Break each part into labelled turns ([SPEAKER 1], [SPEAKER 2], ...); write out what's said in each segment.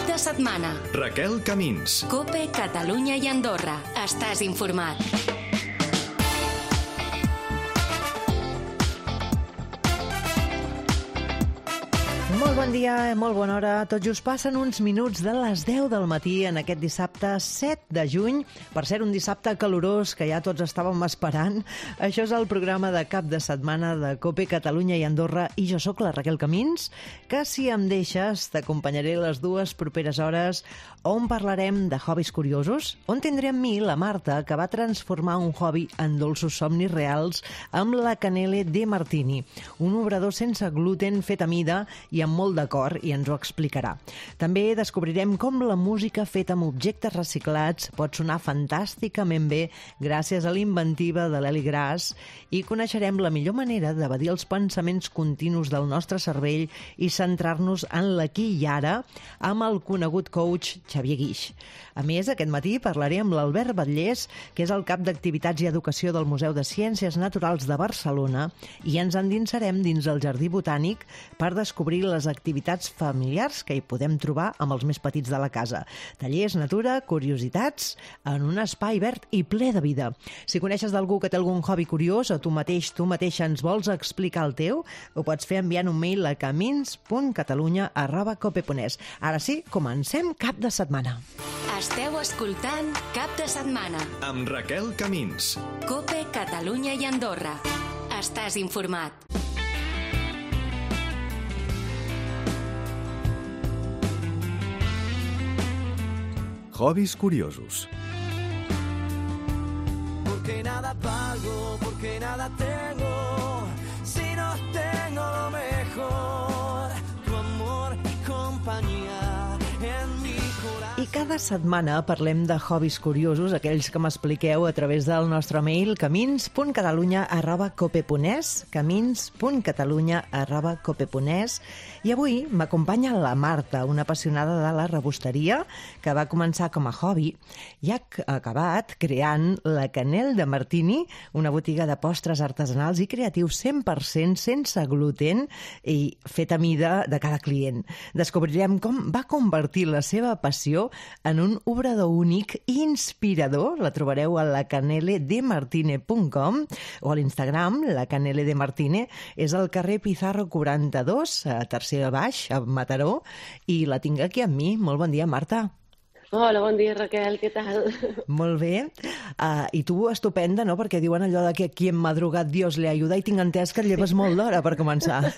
[SPEAKER 1] de setmana.
[SPEAKER 2] Raquel Camins.
[SPEAKER 1] COPE, Catalunya i Andorra. Estàs informat.
[SPEAKER 3] Molt bon dia, molt bona hora. Tot just passen uns minuts de les 10 del matí en aquest dissabte 7 de juny. Per ser un dissabte calorós que ja tots estàvem esperant. Això és el programa de cap de setmana de COPE, Catalunya i Andorra. I jo sóc la Raquel Camins, que si em deixes t'acompanyaré les dues properes hores on parlarem de hobbies curiosos, on tindré amb mi la Marta, que va transformar un hobby en dolços somnis reals amb la Canele de Martini, un obrador sense gluten fet a mida i amb molt de cor, i ens ho explicarà. També descobrirem com la música feta amb objectes reciclats pot sonar fantàsticament bé gràcies a l'inventiva de l'Eli Gras, i coneixerem la millor manera d'evadir els pensaments continus del nostre cervell i centrar-nos en l'aquí i ara amb el conegut coach Xavier Guix. A més, aquest matí parlaré amb l'Albert Batllés, que és el cap d'Activitats i Educació del Museu de Ciències Naturals de Barcelona, i ens endinsarem dins el Jardí Botànic per descobrir les activitats familiars que hi podem trobar amb els més petits de la casa. Tallers, natura, curiositats, en un espai verd i ple de vida. Si coneixes d'algú que té algun hobby curiós o tu mateixa ens vols explicar el teu, ho pots fer enviant un mail a camins.catalunya@cope.es. Ara sí, comencem cap de setmana.
[SPEAKER 1] Esteu escoltant Cap de Setmana.
[SPEAKER 2] Amb Raquel Camins.
[SPEAKER 1] COPE, Catalunya i Andorra. Estàs informat.
[SPEAKER 2] Hobbies curiosos.
[SPEAKER 4] Porque nada pago, porque nada tengo, si no tengo lo mejor, tu amor y compañía en mi corazón.
[SPEAKER 3] I cada setmana parlem de hobbies curiosos, aquells que m'expliqueu a través del nostre mail camins.catalunya@cope.es, camins.catalunya@cope.es. I avui m'acompanya la Marta, una apassionada de la rebosteria que va començar com a hobby i ha acabat creant la Canele de Martini, una botiga de postres artesanals i creatius 100% sense gluten i fet a mida de cada client. Descobrirem com va convertir la seva passió en un obrador únic i inspirador. La trobareu a lacaneledemartine.com o a l'Instagram. La Canele de Martine és al carrer Pizarro 42, a tercer baix, a Mataró, i la tinc aquí amb mi. Molt bon dia, Marta.
[SPEAKER 5] Hola, bon dia, Raquel, què tal?
[SPEAKER 3] Molt bé. I tu estupenda, no? Perquè diuen allò de que aquí en madrugat Dios le ayuda, i tinc entès que et lleves molt d'hora per començar.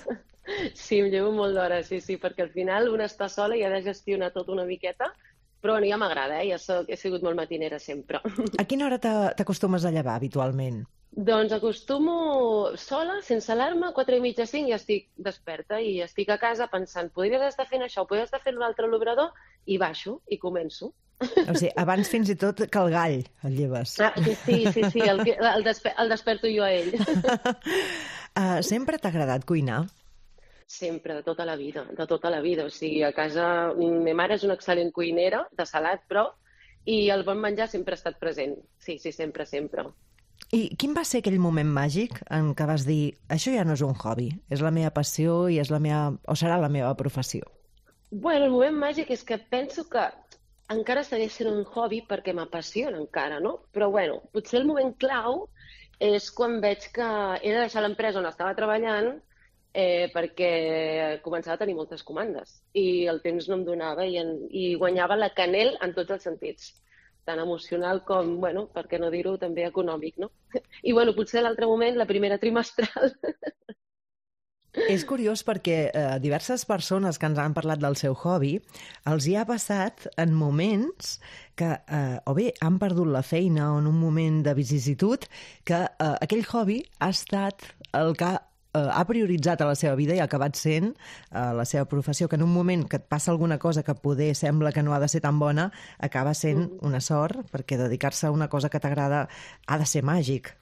[SPEAKER 5] Sí, em llevo molt d'hora, sí, perquè al final una està sola i ha de gestionar tot una miqueta, però bueno, ja m'agrada, he sigut molt matinera sempre.
[SPEAKER 3] A quina hora t'acostumes a llevar habitualment?
[SPEAKER 5] Doncs acostumo sola, sense alarma, 4:30, 5, ja estic desperta i estic a casa pensant, podries estar fent això, podries estar fent l'altre a l'obrador, i baixo i començo.
[SPEAKER 3] O sigui, abans fins i tot que el gall el lleves.
[SPEAKER 5] Sí, el desperto jo a ell.
[SPEAKER 3] Sempre t'ha agradat cuinar?
[SPEAKER 5] Sempre, de tota la vida. O sigui, a casa, ma mare és una excel·lent cuinera, de salat, però, i el bon menjar sempre ha estat present. Sí, sempre.
[SPEAKER 3] I quin va ser aquell moment màgic en què vas dir, això ja no és un hobby, és la meva passió i serà la meva professió?
[SPEAKER 5] Bueno, el moment màgic és que penso que encara segueix sent un hobby perquè m'apassiona encara, no? Però bueno, potser el moment clau és quan veig que he de deixar l'empresa on estava treballant perquè començava a tenir moltes comandes i el temps no em donava i guanyava la Canele en tots els sentits, tant emocional com, bueno, per què no dir-ho, també econòmic, no? I bueno, potser l'altre moment, la primera trimestral.
[SPEAKER 3] És curiós perquè diverses persones que ens han parlat del seu hobby els hi ha passat en moments que o bé han perdut la feina o en un moment de vicisitud que aquell hobby ha estat el que ha prioritzat a la seva vida i ha acabat sent la seva professió, que en un moment que et passa alguna cosa que poder sembla que no ha de ser tan bona, acaba sent una sort, perquè dedicar-se a una cosa que t'agrada ha de ser màgic.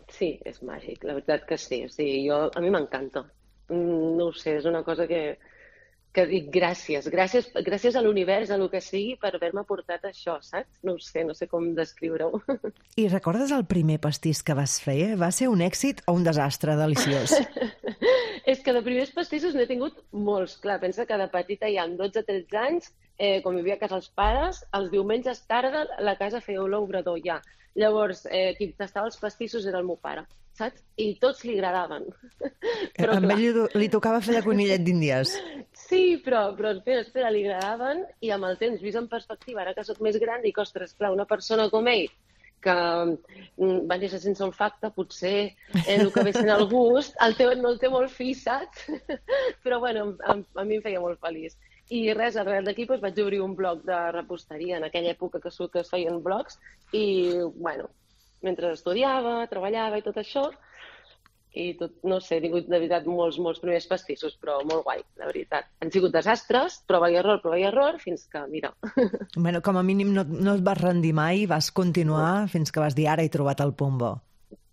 [SPEAKER 5] Sí, és màgic, la veritat que sí. O sigui, a mi m'encanta. No ho sé, és una cosa que dic gràcies a l'univers, a lo que sigui, per haver-me portat això, saps? No ho sé, no sé com descriure-ho.
[SPEAKER 3] I recordes el primer pastís que vas fer? Va ser un èxit o un desastre deliciós?
[SPEAKER 5] És que de primers pastissos n'he tingut molts. Clar, pensa que de petita ja amb 12-13 anys quan vivia a casa els pares, els diumenges tarda la casa feia olor a obrador ja. Llavors, qui tastava els pastissos era el meu pare, saps? I tots li agradaven.
[SPEAKER 3] Però, a ell li tocava fer de conillet d'Índies.
[SPEAKER 5] Sí, però espera, li agradaven i amb el temps, vist en perspectiva, ara que sóc més gran, dic, ostres, clar, una persona com ell, que va néixer sense olfacte, potser el que ve sent el gust, no el té molt fi, saps? Però bueno, a mi em feia molt feliç. I res, arrel d'aquí doncs, vaig obrir un blog de reposteria en aquella època que es feien blogs i, bueno, mentre estudiava, treballava i tot això, i tot, no sé, he tingut de veritat molts primers pastissos, però molt guai, la veritat. Han sigut desastres, prova i error, fins que, mira...
[SPEAKER 3] Bueno, com a mínim no et vas rendir mai, vas continuar fins que vas dir ara he trobat el punt bo.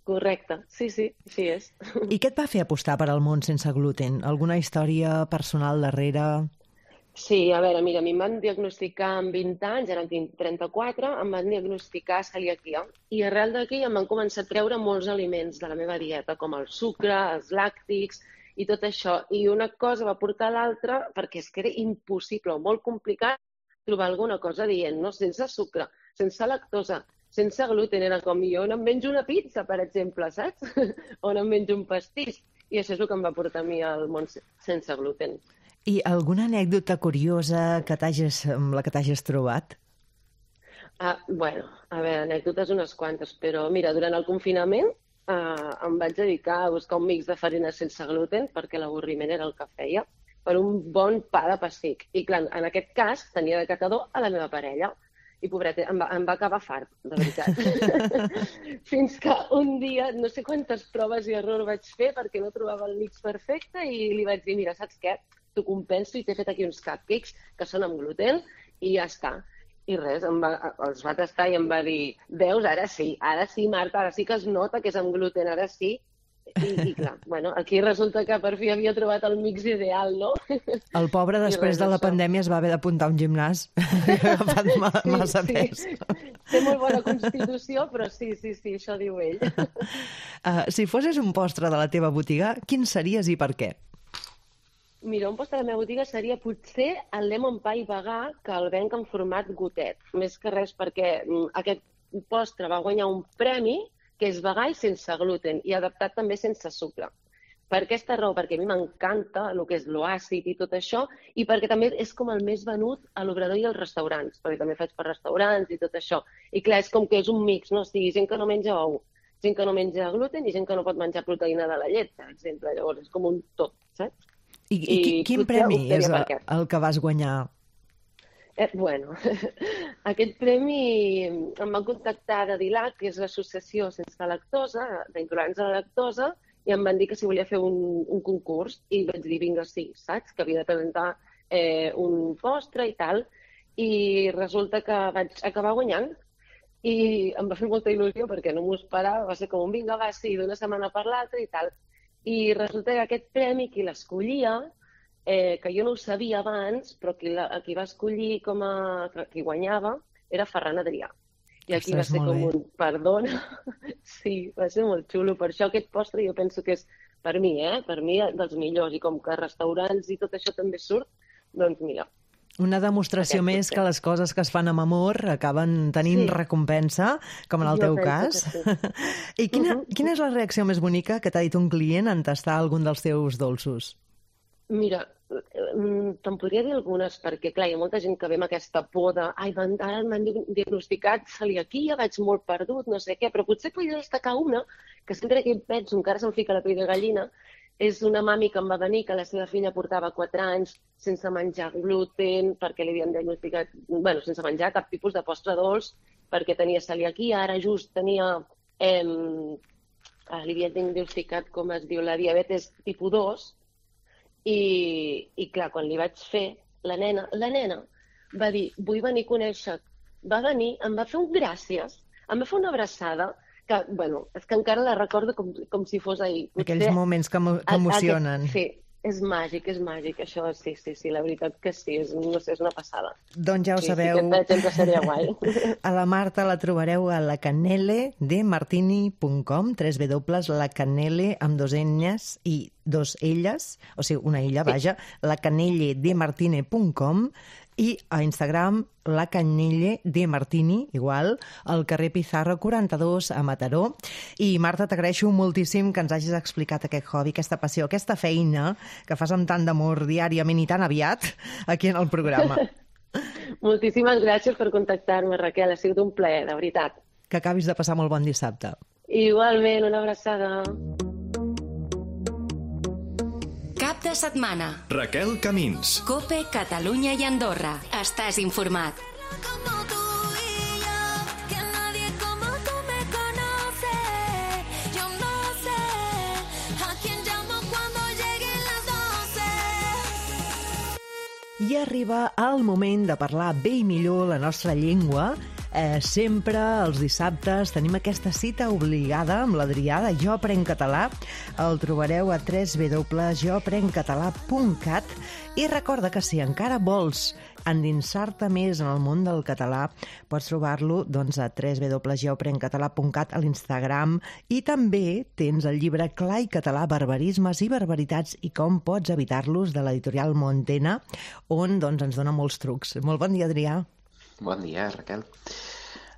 [SPEAKER 5] Correcte, sí, així és.
[SPEAKER 3] I què et va fer apostar per al món sense gluten? Alguna història personal darrere?
[SPEAKER 5] Sí, a veure, mira, a mi em van diagnosticar amb 20 anys, ara en tinc 34, em van diagnosticar celiaquia. I arrel d'aquí em van començar a treure molts aliments de la meva dieta, com el sucre, els làctics i tot això. I una cosa va portar a l'altra, perquè és que era impossible o molt complicat trobar alguna cosa dient, no? Sense sucre, sense lactosa, sense gluten. Era com jo on em menjo una pizza, per exemple, saps? On em menjo un pastís. I això és el que em va portar a mi al món sense gluten.
[SPEAKER 3] I alguna anècdota curiosa amb la que t'hagis trobat?
[SPEAKER 5] Bueno, a veure, anècdotes unes quantes, però mira, durant el confinament em vaig dedicar a buscar un mix de farina sense gluten, perquè l'avorriment era el que feia, per un bon pa de pessic. I clar, en aquest cas tenia de catador a la meva parella. I pobreta, em va acabar fart, de veritat. Fins que un dia, no sé quantes proves i errors vaig fer perquè no trobava el mix perfecte i li vaig dir, mira, saps què? T'ho compenso i t'he fet aquí uns cupcakes que són amb gluten i ja està. I res, els va tastar i em va dir, veus, ara sí, Marta, ara sí que es nota que és amb gluten, ara sí. I clar, bueno, aquí resulta que per fi havia trobat el mix ideal, no?
[SPEAKER 3] El pobre, després de la pandèmia, es va haver d'apuntar a un gimnàs. Ha agafat massa pes.
[SPEAKER 5] Té molt bona constitució, però sí, això diu ell.
[SPEAKER 3] Si fossis un postre de la teva botiga, quin series i per què?
[SPEAKER 5] Mira, un postre de la meva botiga seria potser el lemon pie vegà que el venc en format gotet. Més que res perquè aquest postre va guanyar un premi que és vegà i sense gluten i adaptat també sense sucre. Per aquesta raó, perquè a mi m'encanta el que és l'oàcid i tot això i perquè també és com el més venut a l'obrador i als restaurants, perquè també faig per restaurants i tot això. I clar, és com que és un mix, no? O sigui, gent que no menja ou, gent que no menja gluten i gent que no pot menjar proteïna de la llet, per exemple. Llavors és com un tot, saps?
[SPEAKER 3] I quin premi és el que vas guanyar?
[SPEAKER 5] Bueno, aquest premi em van contactar de DILAC, que és l'associació sense lactosa, d'intolerància a la lactosa, i em van dir que si volia fer un concurs, i vaig dir, vinga, sí, saps? Que havia de presentar un postre i tal, i resulta que vaig acabar guanyant, i em va fer molta il·lusió perquè no m'ho esperava, va ser com un vinga, va, sí, d'una setmana per l'altra i tal. I resulta que aquest premi, qui l'escollia, que jo no ho sabia abans, però qui va escollir qui guanyava, era Ferran Adrià. I aquí va ser com un, perdona, sí, va ser molt xulo. Per això aquest postre jo penso que és, per mi, dels millors. I com que restaurants i tot això també surt, doncs mira.
[SPEAKER 3] Una demostració més que les coses que es fan amb amor acaben tenint recompensa, com en el teu cas. I quina és la reacció més bonica que t'ha dit un client en tastar algun dels teus dolços?
[SPEAKER 5] Mira, te'n podria dir algunes, perquè clar, hi ha molta gent que ve amb aquesta por de ara m'han diagnosticat celiaquia, vaig molt perdut, no sé què, però potser podria destacar una, que sempre que hi penso encara se'm fica la pell de gallina. És una mami que em va venir, que la seva filla portava 4 anys sense menjar gluten, perquè li havien diagnosticat, sense menjar cap tipus de postre dolç, perquè tenia celiaquia, ara just tenia, li havien diagnosticat, com es diu, la diabetes tipus 2, i clar, quan li vaig fer, la nena va dir, vull venir a conèixer, va venir, em va fer un gràcies, em va fer una abraçada, que, és que encara la recordo com si fos ahir.
[SPEAKER 3] Aquells moments que emocionen.
[SPEAKER 5] Sí, és màgic, això, sí, la veritat que sí, no sé, és una passada.
[SPEAKER 3] Doncs ja ho sabeu.
[SPEAKER 5] Sí, aquest exemple seria guai.
[SPEAKER 3] A la Marta la trobareu a lacanele de martini.com, www.lacanele amb 2 N's i dos elles, o sigui, una illa, vaja, lacanelledemartine.com i a Instagram lacanelledemartini, igual, al carrer Pizarro 42 a Mataró. I Marta, t'agraeixo moltíssim que ens hagis explicat aquest hobby, aquesta passió, aquesta feina que fas amb tant d'amor diàriament i tan aviat aquí en el programa.
[SPEAKER 5] Moltíssimes gràcies per contactar-me, Raquel. Ha sigut un plaer, de veritat.
[SPEAKER 3] Que acabis de passar molt bon dissabte.
[SPEAKER 5] Igualment, una abraçada.
[SPEAKER 1] Cap de setmana.
[SPEAKER 2] Raquel Camins.
[SPEAKER 1] COPE, Catalunya i Andorra. Estàs informat.
[SPEAKER 6] Como tú y yo, que nadie como tú me conoce. Yo no sé a quién llamo cuando lleguen las 12.
[SPEAKER 3] I arriba el moment de parlar bé i millor la nostra llengua. Sempre els dissabtes tenim aquesta cita obligada amb l'Adrià de Jo Aprenc Català. El trobareu a www.joaprenccatalà.cat i recorda que si encara vols endinsar-te més en el món del català, pots trobar-lo doncs, a www.joaprenccatalà.cat a l'Instagram i també tens el llibre Clar i català, barbarismes i barbaritats i com pots evitar-los de l'editorial Montena, on doncs, ens dona molts trucs. Molt bon dia, Adrià.
[SPEAKER 7] Bon dia, Raquel.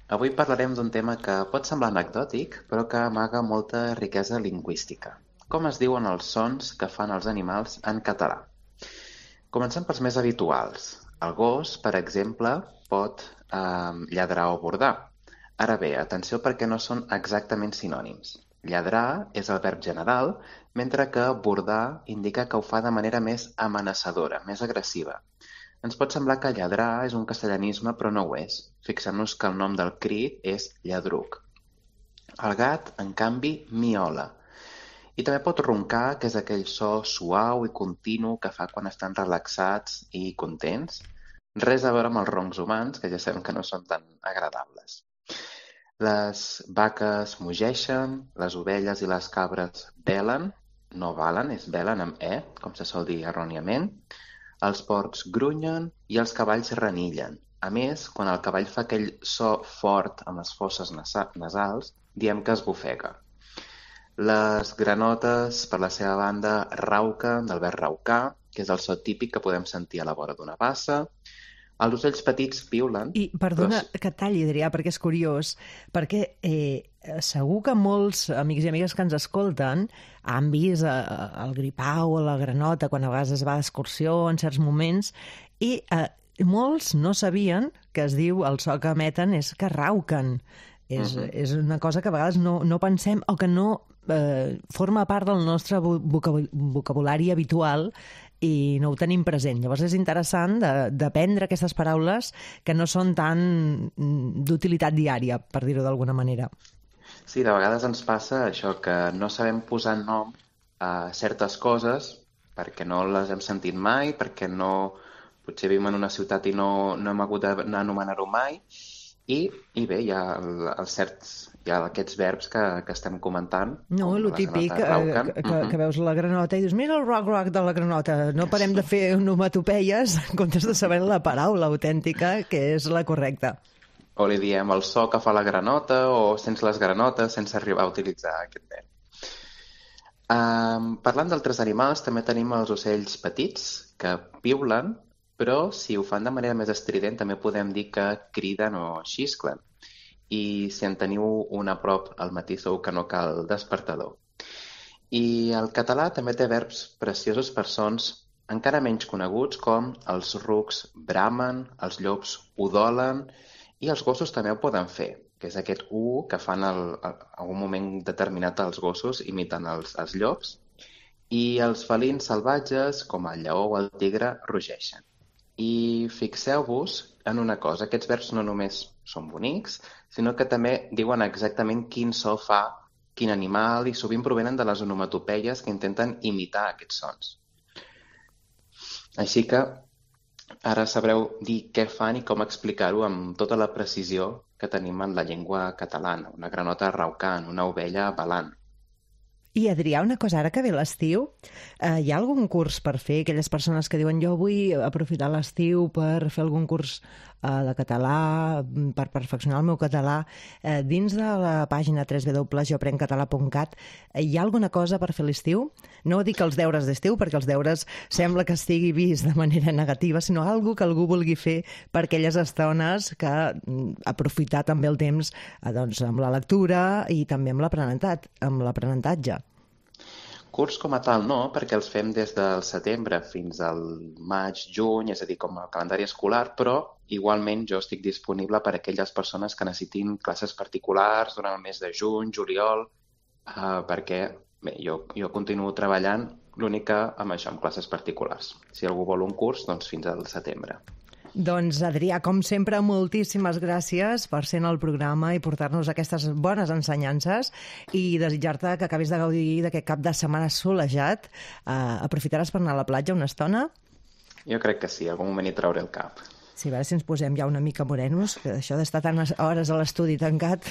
[SPEAKER 7] Avui parlarem d'un tema que pot semblar anecdòtic, però que amaga molta riquesa lingüística. Com es diuen els sons que fan els animals en català? Comencem pels més habituals. El gos, per exemple, pot lladrar o bordar. Ara bé, atenció perquè no són exactament sinònims. Lladrar és el verb general, mentre que bordar indica que ho fa de manera més amenaçadora, més agressiva. Ens pot semblar que lladrar és un castellanisme, però no ho és. Fixem-nos que el nom del crit és lladruc. El gat, en canvi, miola. I també pot roncar, que és aquell so suau i continu que fa quan estan relaxats i contents. Res a veure amb els roncs humans, que ja sabem que no són tan agradables. Les vaques mugeixen, les ovelles i les cabres belen, no balen, és belen amb E, com se sol dir erròniament. Els porcs grunyen i els cavalls renillen. A més, quan el cavall fa aquell so fort amb les fosses nasals, diem que esbufega. Les granotes, per la seva banda, rauquen, del verb raucar, que és el so típic que podem sentir a la vora d'una bassa. Els ocells petits piulen.
[SPEAKER 3] I perdona que et talli, Adrià, perquè és curiós, perquè segur que molts amics i amigues que ens escolten han vist el gripau o la granota quan a vegades es va d'excursió en certs moments i molts no sabien que es diu, el so que emeten és que rauquen. És una cosa que a vegades no pensem o que no forma part del nostre vocabulari habitual i no ho tenim present. Llavors és interessant d'aprendre aquestes paraules que no són tan d'utilitat diària, per dir-ho d'alguna manera.
[SPEAKER 7] Sí, de vegades ens passa això, que no sabem posar nom a certes coses perquè no les hem sentit mai, perquè potser vivim en una ciutat i no hem hagut d'anomenar-ho mai, i bé, hi ha aquests verbs que estem comentant.
[SPEAKER 3] No, el típic, que veus la granota i dius, mira el roc de la granota. No parem de fer onomatopeies en comptes de saber la paraula autèntica, que és la correcta.
[SPEAKER 7] O li diem el so que fa la granota, o sense les granotes, sense arribar a utilitzar aquest verb. Parlant d'altres animals, també tenim els ocells petits, que piulen, però si ho fan de manera més estrident també podem dir que criden o xisclen. I si en teniu un a prop al matí segur que no cal despertador. I el català també té verbs preciosos per sons encara menys coneguts com els rucs bramen, els llops udolen i els gossos també ho poden fer, que és aquest U que fan en un moment determinat els gossos imitant els llops. I els felins salvatges, com el lleó o el tigre, rugeixen. I fixeu-vos en una cosa, aquests verbs no només són bonics, sinó que també diuen exactament quin so fa quin animal i sovint provenen de les onomatopeies que intenten imitar aquests sons. Així que ara sabreu dir què fan i com explicar-ho amb tota la precisió que tenim en la llengua catalana. Una granota raucant, una ovella balant.
[SPEAKER 3] I Adrià, una cosa, ara que ve l'estiu, hi ha algun curs per fer? Aquelles persones que diuen jo vull aprofitar l'estiu per fer algun curs de català, per perfeccionar el meu català. Dins de la pàgina www.joprencatalà.cat hi ha alguna cosa per fer a l'estiu? No dic els deures d'estiu, perquè els deures sembla que estigui vist de manera negativa, sinó algo que algú vulgui fer per aquelles estones que aprofitar també el temps doncs, amb la lectura i també amb l'aprenentatge.
[SPEAKER 7] Curs com a tal no, perquè els fem des del setembre fins al maig, juny, és a dir, com a calendari escolar, però igualment jo estic disponible per a aquelles persones que necessitin classes particulars durant el mes de juny, juliol, perquè bé, jo continuo treballant l'únic que amb això, amb classes particulars. Si algú vol un curs, doncs fins al setembre.
[SPEAKER 3] Doncs, Adrià, com sempre, moltíssimes gràcies per ser en el programa i portar-nos aquestes bones ensenyances i desitjar-te que acabis de gaudir d'aquest cap de setmana solejat. Aprofitaràs per anar a la platja una estona?
[SPEAKER 7] Jo crec que sí, algun moment hi trauré el cap.
[SPEAKER 3] Sí, a veure si ens posem ja una mica morenos, que això d'estar tantes hores a l'estudi tancat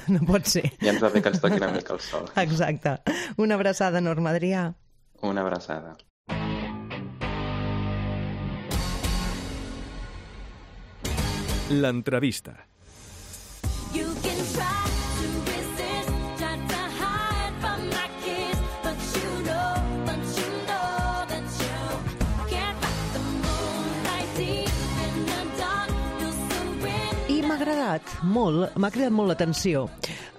[SPEAKER 3] no pot ser.
[SPEAKER 7] Ja ens va bé que ens toqui una mica el sol.
[SPEAKER 3] Exacte. Una abraçada enorme, Adrià.
[SPEAKER 7] Una abraçada.
[SPEAKER 2] L'entrevista.
[SPEAKER 6] You can try to resist, try to hide from my kiss, but you know that you can't fight the moonlight deep in the dark. You'll surrender.
[SPEAKER 3] I m'ha cridat molt l'atenció.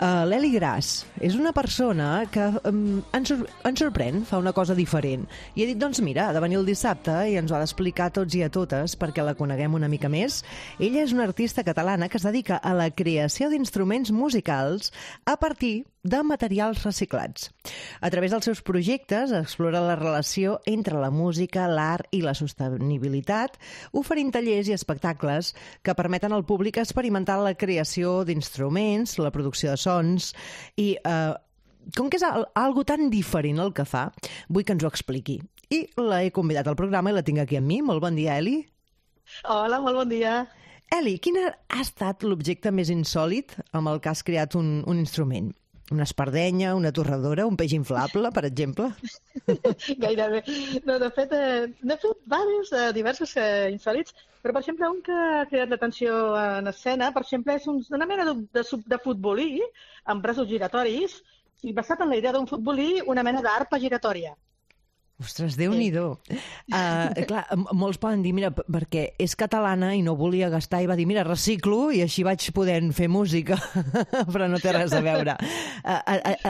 [SPEAKER 3] L'Eli Gras és una persona que ens sorprèn, fa una cosa diferent. I he dit, doncs mira, ha de venir el dissabte i ens ho ha d'explicar a tots i a totes perquè la coneguem una mica més. Ella és una artista catalana que es dedica a la creació d'instruments musicals a partir de materials reciclats. A través dels seus projectes explora la relació entre la música, l'art i la sostenibilitat, oferint tallers i espectacles que permeten al públic experimentar la creació d'instruments, la producció de sons i com que és algo tan diferent el que fa, vull que ens ho expliqui. I l'he convidat al programa i la tinc aquí amb mi. Molt bon dia, Eli.
[SPEAKER 8] Hola, molt bon dia.
[SPEAKER 3] Eli, quin ha estat l'objecte més insòlit amb el que has creat un instrument? Una espardenya, una torradora, un peix inflable, per exemple?
[SPEAKER 8] Gairebé. No, de fet, n'he fet diversos insòlits, però, per exemple, un que ha cridat l'atenció en escena, per exemple, és una mena de futbolí amb braços giratoris i basat en la idea d'un futbolí, una mena d'arpa giratòria.
[SPEAKER 3] Ostres, Déu-n'hi-do. Clar, molts poden dir, mira, perquè és catalana i no volia gastar i va dir, mira, reciclo i així vaig podent fer música, però no té res a veure.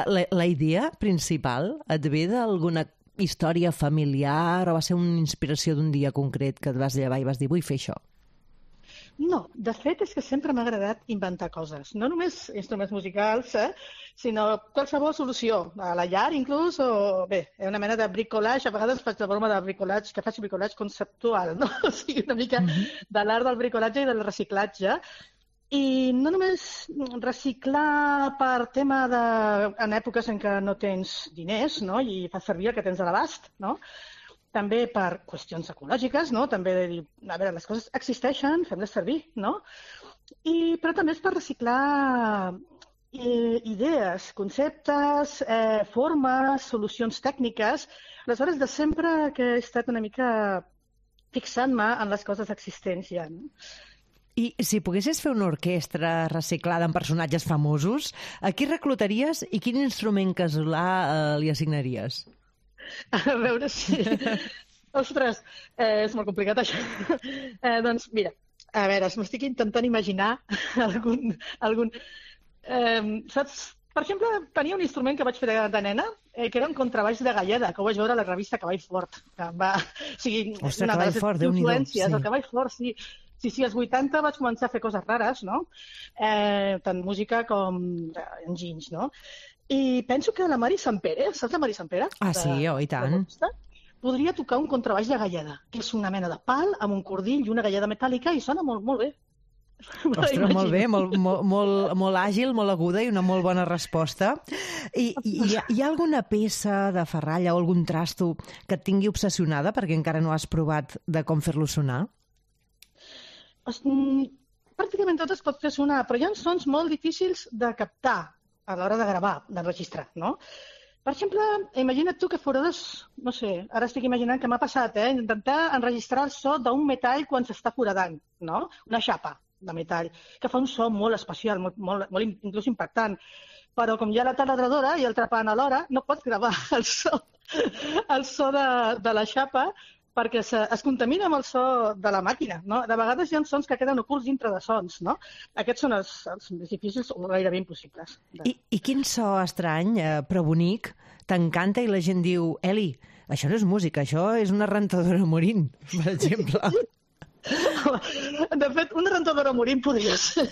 [SPEAKER 3] La idea principal et ve d'alguna història familiar o va ser una inspiració d'un dia concret que et vas llevar i vas dir, vull fer això?
[SPEAKER 8] No, de fet és que sempre m'ha agradat inventar coses. No només instruments musicals, sinó qualsevol solució. A la llar, inclús, o bé, una mena de bricolage. A vegades faig la broma de bricolage, que faig bricolage conceptual, no? O sigui, una mica de l'art del bricolatge i del reciclatge. I no només reciclar per tema en èpoques en què no tens diners, no? I fas servir el que tens a l'abast, no? També per qüestions ecològiques, no? També de dir, a veure, les coses existeixen, fem-les servir, no? Però també és per reciclar idees, conceptes, formes, solucions tècniques. Aleshores, de sempre que he estat una mica fixant-me en les coses existents ja, no?
[SPEAKER 3] I si poguessis fer una orquestra reciclada amb personatges famosos, a qui reclutaries i quin instrument casolà li assignaries?
[SPEAKER 8] A veure si... Ostres, és molt complicat això. Doncs mira, a veure, m'estic intentant imaginar algun... Saps? Per exemple, tenia un instrument que vaig fer de nena, que era un contrabaix de Galleda, que ho vaig veure a la revista Cavall Fort. O sigui,
[SPEAKER 3] ostres, Cavall Fort, Déu-n'hi-do.
[SPEAKER 8] Influències, el Cavall Fort, sí. Sí, als 80 vaig començar a fer coses rares, no? Tant música com enginys, no? I penso que la Mari Sampere, saps la Mari Sampere?
[SPEAKER 3] Ah, sí, i tant.
[SPEAKER 8] Podria tocar un contrabaix de Galleda, que és una mena de pal amb un cordill i una galleda metàl·lica i sona molt, molt bé.
[SPEAKER 3] Ostres, molt bé, molt àgil, molt aguda i una molt bona resposta. Hi ha alguna peça de ferralla o algun trasto que et tingui obsessionada perquè encara no has provat de com fer-lo sonar?
[SPEAKER 8] Pràcticament tot es pot fer sonar, però hi ha sons molt difícils de captar a l'hora de gravar, d'enregistrar, no? Per exemple, imagina't tu que forades, no sé, ara estic imaginant que m'ha passat, intentar enregistrar el so d'un metall quan s'està foradant, no? Una xapa de metall, que fa un so molt especial, molt inclús impactant. Però com hi ha la taladradora i el trepant alhora, no pots gravar el so de la xapa perquè es contamina amb el so de la màquina, no? De vegades hi ha sons que queden ocults dintre de sons, no? Aquests són els més difícils o gairebé impossibles.
[SPEAKER 3] I quin so estrany, però bonic, t'encanta i la gent diu Eli, això no és música, això és una rentadora morint, per exemple.
[SPEAKER 8] De fet, una rentadora morint podria ser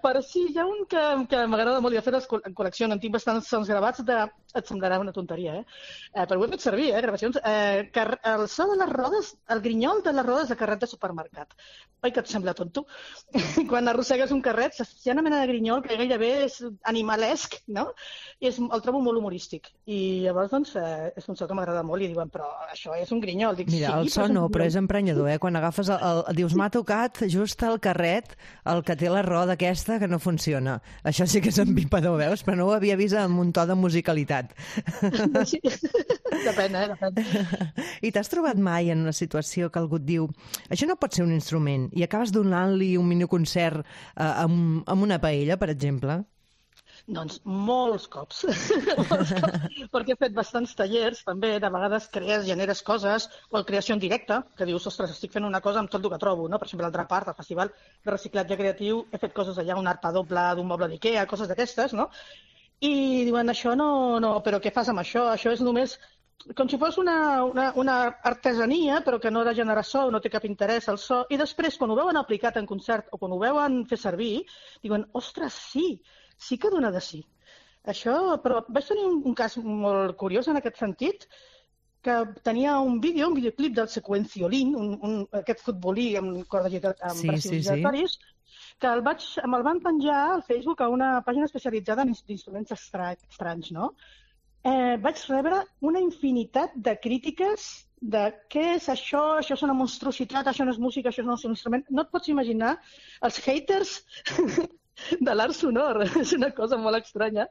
[SPEAKER 8] però sí, hi ha un que m'agrada molt, i de fet en col·lecció en tinc bastants sons gravats et semblarà una tonteria, però ho he fet servir, gravacions, el so de les rodes, el grinyol de les rodes de carret de supermercat. Oi que et sembla tonto? Quan arrossegues un carret hi ha una mena de grinyol que gairebé és animalesc, no? I el trobo molt humorístic, i llavors doncs és un so que m'agrada molt i diuen, però això és un grinyol. Dic,
[SPEAKER 3] mira, el so no, però és emprenyador, Quan agafes dius, m'ha tocat just el carret, el que té la roda aquesta que no funciona. Això sí que és empipador, veus? Però no ho havia vist amb un to de musicalitat.
[SPEAKER 8] Sí. Depèn.
[SPEAKER 3] I t'has trobat mai en una situació que algú et diu això no pot ser un instrument i acabes donant-li un miniconcert amb una paella, per exemple?
[SPEAKER 8] Doncs molts cops, perquè he fet bastants tallers, també, de vegades generes coses, o creació en directe, que dius, ostres, estic fent una cosa amb tot el que trobo, no? Per exemple, al Drapart, al Festival de Reciclatge Creatiu, he fet coses allà, un arpa doble d'un moble d'Ikea, coses d'aquestes, no? I diuen, això no, però què fas amb això? Això és només com si fos una artesania, però que no ha de generar so, no té cap interès al so, i després, quan ho veuen aplicat en concert o quan ho veuen fer servir, diuen, ostres, sí que dona de sí. Això, però vaig tenir un cas molt curiós en aquest sentit, que tenia un videoclip del Sequenciolín, aquest futbolí amb braços giratoris, que me'l van penjar al Facebook a una pàgina especialitzada en instruments estranys, no? Vaig rebre una infinitat de crítiques de què és això és una monstruositat, això no és música, això no és un instrument. No et pots imaginar els haters de l'art sonor. És una cosa molt estranya.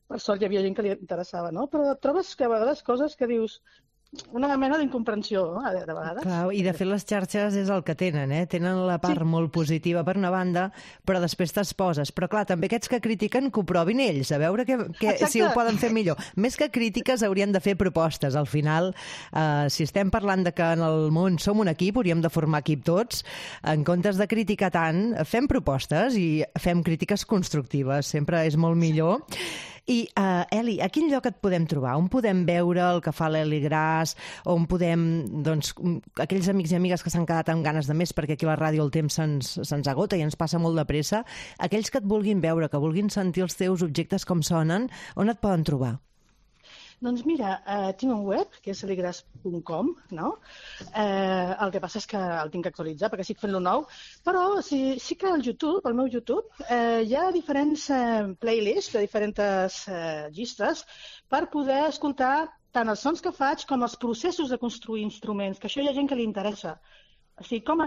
[SPEAKER 8] Per sort hi havia gent que li interessava, no? Però trobes que a vegades coses que dius una mena d'incomprensió, no? De vegades.
[SPEAKER 3] Clar, i de fet les xarxes és el que tenen, Tenen la part molt positiva per una banda, però després t'exposes. Però clar, també aquests que critiquen que ho provin ells, a veure si ho poden fer millor. Més que crítiques haurien de fer propostes. Al final, si estem parlant de que en el món som un equip, hauríem de formar equip tots. En comptes de criticar tant, fem propostes i fem crítiques constructives. Sempre és molt millor. I, Eli, a quin lloc et podem trobar? On podem veure el que fa l'Eli Gras? On podem, doncs, aquells amics i amigues que s'han quedat amb ganes de més, perquè aquí a la ràdio el temps se'ns agota i ens passa molt de pressa, aquells que et vulguin veure, que vulguin sentir els teus objectes com sonen, on et poden trobar?
[SPEAKER 8] Doncs mira, tinc un web, que és eligras.com, no? El que passa és que el tinc que actualitzar perquè estic fent-lo nou, però sí que al meu YouTube, hi ha diferents playlists de diferents llistes per poder escoltar tant els sons que faig com els processos de construir instruments, que això hi ha gent que li interessa. O sigui, com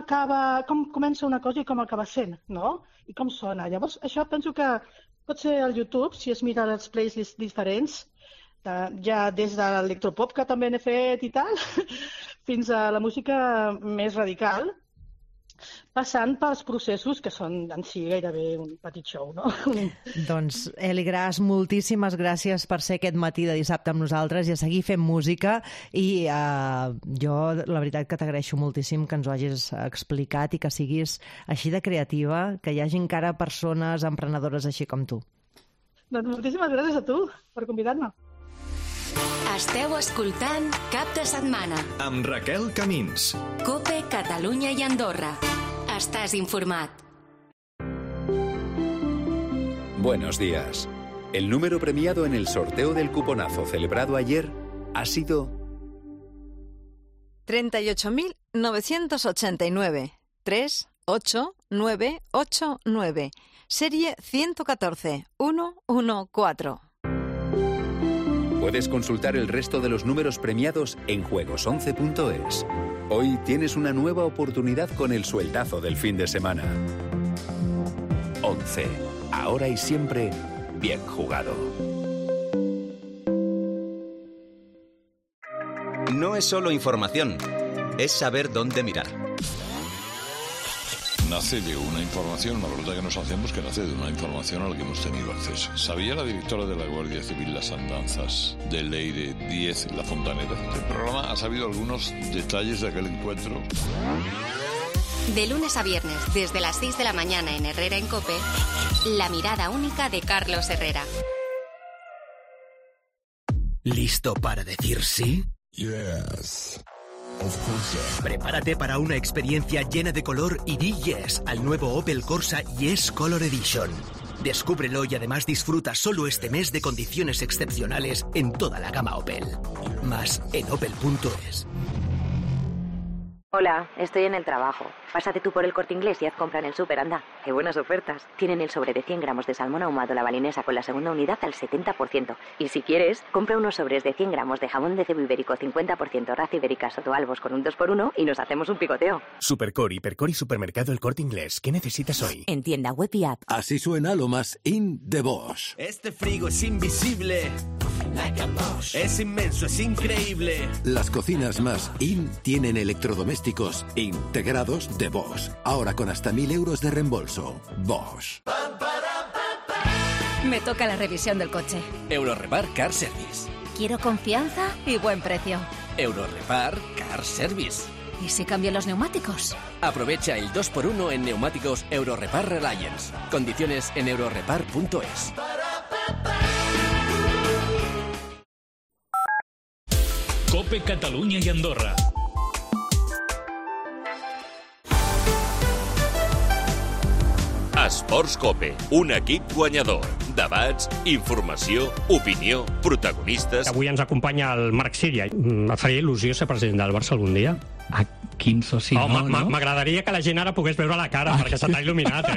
[SPEAKER 8] comença una cosa i com acaba sent, no? I com sona. Llavors, això penso que pot ser al YouTube, si es mira els playlists diferents, ja des de l'electropop, que també n'he fet i tal, fins a la música més radical, passant pels processos que són en si gairebé un petit show, no?
[SPEAKER 3] Doncs, Eli Gras, moltíssimes gràcies per ser aquest matí de dissabte amb nosaltres i a seguir fent música, i jo la veritat que t'agraeixo moltíssim que ens ho hagis explicat i que siguis així de creativa, que hi hagi encara persones emprenedores així com tu.
[SPEAKER 8] Doncs moltíssimes gràcies a tu per convidar-me.
[SPEAKER 1] Esteu escoltant Cap de Setmana.
[SPEAKER 2] Amb Raquel Camins.
[SPEAKER 1] COPE, Catalunya i Andorra. Estàs informat.
[SPEAKER 9] Buenos días. El número premiado en el sorteo del cuponazo celebrado ayer ha sido
[SPEAKER 10] 38.989. 38989. Serie 114 114.
[SPEAKER 9] Puedes consultar el resto de los números premiados en juegos11.es. Hoy tienes una nueva oportunidad con el sueldazo del fin de semana. 11. Ahora y siempre, bien jugado.
[SPEAKER 11] No es solo información, es saber dónde mirar.
[SPEAKER 12] Nace de una información, la pregunta que nos hacemos que nace de una información a la que hemos tenido acceso. ¿Sabía la directora de la Guardia Civil las andanzas de Leire 10, la fontanera? El programa ha sabido algunos detalles de aquel encuentro.
[SPEAKER 1] De lunes a viernes, desde las 6 de la mañana en Herrera en COPE, la mirada única de Carlos Herrera.
[SPEAKER 13] ¿Listo para decir sí?
[SPEAKER 14] Yes.
[SPEAKER 13] Prepárate para una experiencia llena de color y di yes al nuevo Opel Corsa Yes Color Edition. Descúbrelo y además disfruta solo este mes de condiciones excepcionales en toda la gama Opel. Más en opel.es.
[SPEAKER 15] Hola, estoy en el trabajo. Pásate tú por el Corte Inglés y haz compra en el súper, anda. ¡Qué buenas ofertas! Tienen el sobre de 100 gramos de salmón ahumado la balinesa con la segunda unidad al 70%. Y si quieres, compra unos sobres de 100 gramos de jamón de cebo ibérico 50% raza ibérica sotoalbos con un 2x1 y nos hacemos un picoteo.
[SPEAKER 13] Supercor, Hipercor y Supermercado El Corte Inglés. ¿Qué necesitas hoy?
[SPEAKER 15] En tienda web y app.
[SPEAKER 14] Así suena lo más in de Bosch.
[SPEAKER 4] Este frigo es invisible. Es inmenso, es increíble.
[SPEAKER 14] Las cocinas más in tienen electrodomésticos integrados de Bosch. Ahora con hasta 1.000 euros de reembolso. Bosch.
[SPEAKER 16] Me toca la revisión del coche.
[SPEAKER 17] Eurorepar Car Service.
[SPEAKER 16] Quiero confianza y buen precio.
[SPEAKER 17] Eurorepar Car Service.
[SPEAKER 16] ¿Y si cambio los neumáticos?
[SPEAKER 17] Aprovecha el 2x1 en neumáticos Eurorepar Reliance. Condiciones en eurorepar.es.
[SPEAKER 2] COPE Catalunya i Andorra.
[SPEAKER 18] Esports COPE, un equip guanyador. Debats, informació, opinió, protagonistes...
[SPEAKER 19] Avui ens acompanya el Marc Síria. Em faria il·lusió ser president del Barça algun dia.
[SPEAKER 20] A quin soci no, no?
[SPEAKER 19] M'agradaria que la gent ara pogués veure la cara, perquè se t'ha il·luminat,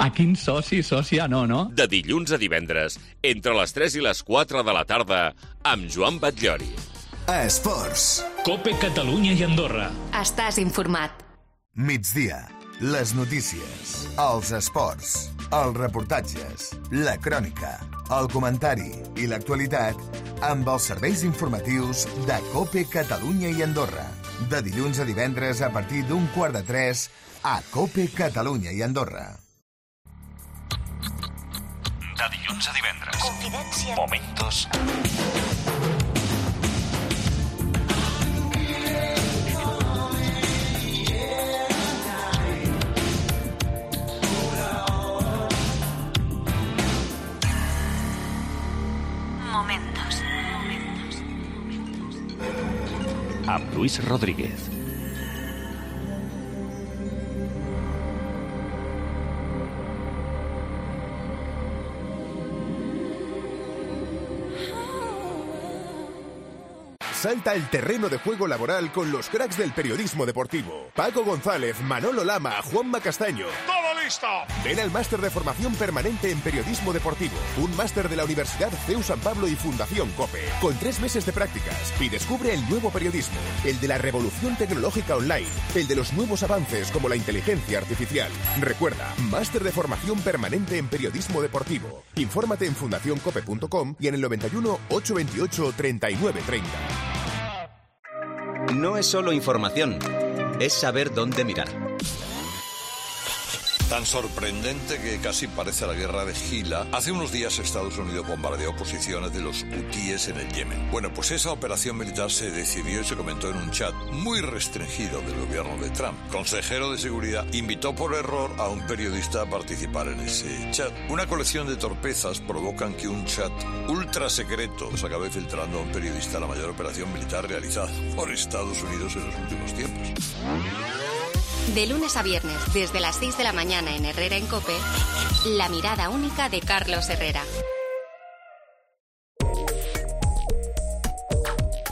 [SPEAKER 20] A quin sòcia no?
[SPEAKER 18] De dilluns a divendres, entre les 3 i les 4 de la tarda, amb Joan Batllori.
[SPEAKER 2] Esports. COPE Catalunya i Andorra.
[SPEAKER 1] Estàs informat.
[SPEAKER 21] Migdia. Les notícies, els esports, els reportatges, la crònica, el comentari i l'actualitat amb els serveis informatius de COPE Catalunya i Andorra. De dilluns a divendres a partir d'2:45 a COPE Catalunya i Andorra.
[SPEAKER 18] De dilluns a divendres.
[SPEAKER 1] Confidència.
[SPEAKER 18] Momentos. Amb Luis Rodríguez.
[SPEAKER 22] Salta al terreno de juego laboral con los cracks del periodismo deportivo. Paco González, Manolo Lama, Juanma Castaño.
[SPEAKER 23] ¡Todo listo!
[SPEAKER 22] Ven al máster de formación permanente en periodismo deportivo. Un máster de la Universidad CEU San Pablo y Fundación COPE. Con 3 meses de prácticas. Y descubre el nuevo periodismo. El de la revolución tecnológica online. El de los nuevos avances como la inteligencia artificial. Recuerda, máster de formación permanente en periodismo deportivo. Infórmate en fundacioncope.com y en el 91 828 3930.
[SPEAKER 11] No es solo información, es saber dónde mirar.
[SPEAKER 12] Tan sorprendente que casi parece la guerra de Gila. Hace unos días Estados Unidos bombardeó posiciones de los hutíes en el Yemen. Bueno, pues esa operación militar se decidió y se comentó en un chat muy restringido del gobierno de Trump. Consejero de Seguridad invitó por error a un periodista a participar en ese chat. Una colección de torpezas provocan que un chat ultra secreto se acabe filtrando a un periodista la mayor operación militar realizada por Estados Unidos en los últimos tiempos.
[SPEAKER 1] De lunes a viernes, desde las 6 de la mañana en Herrera en COPE, la mirada única de Carlos Herrera.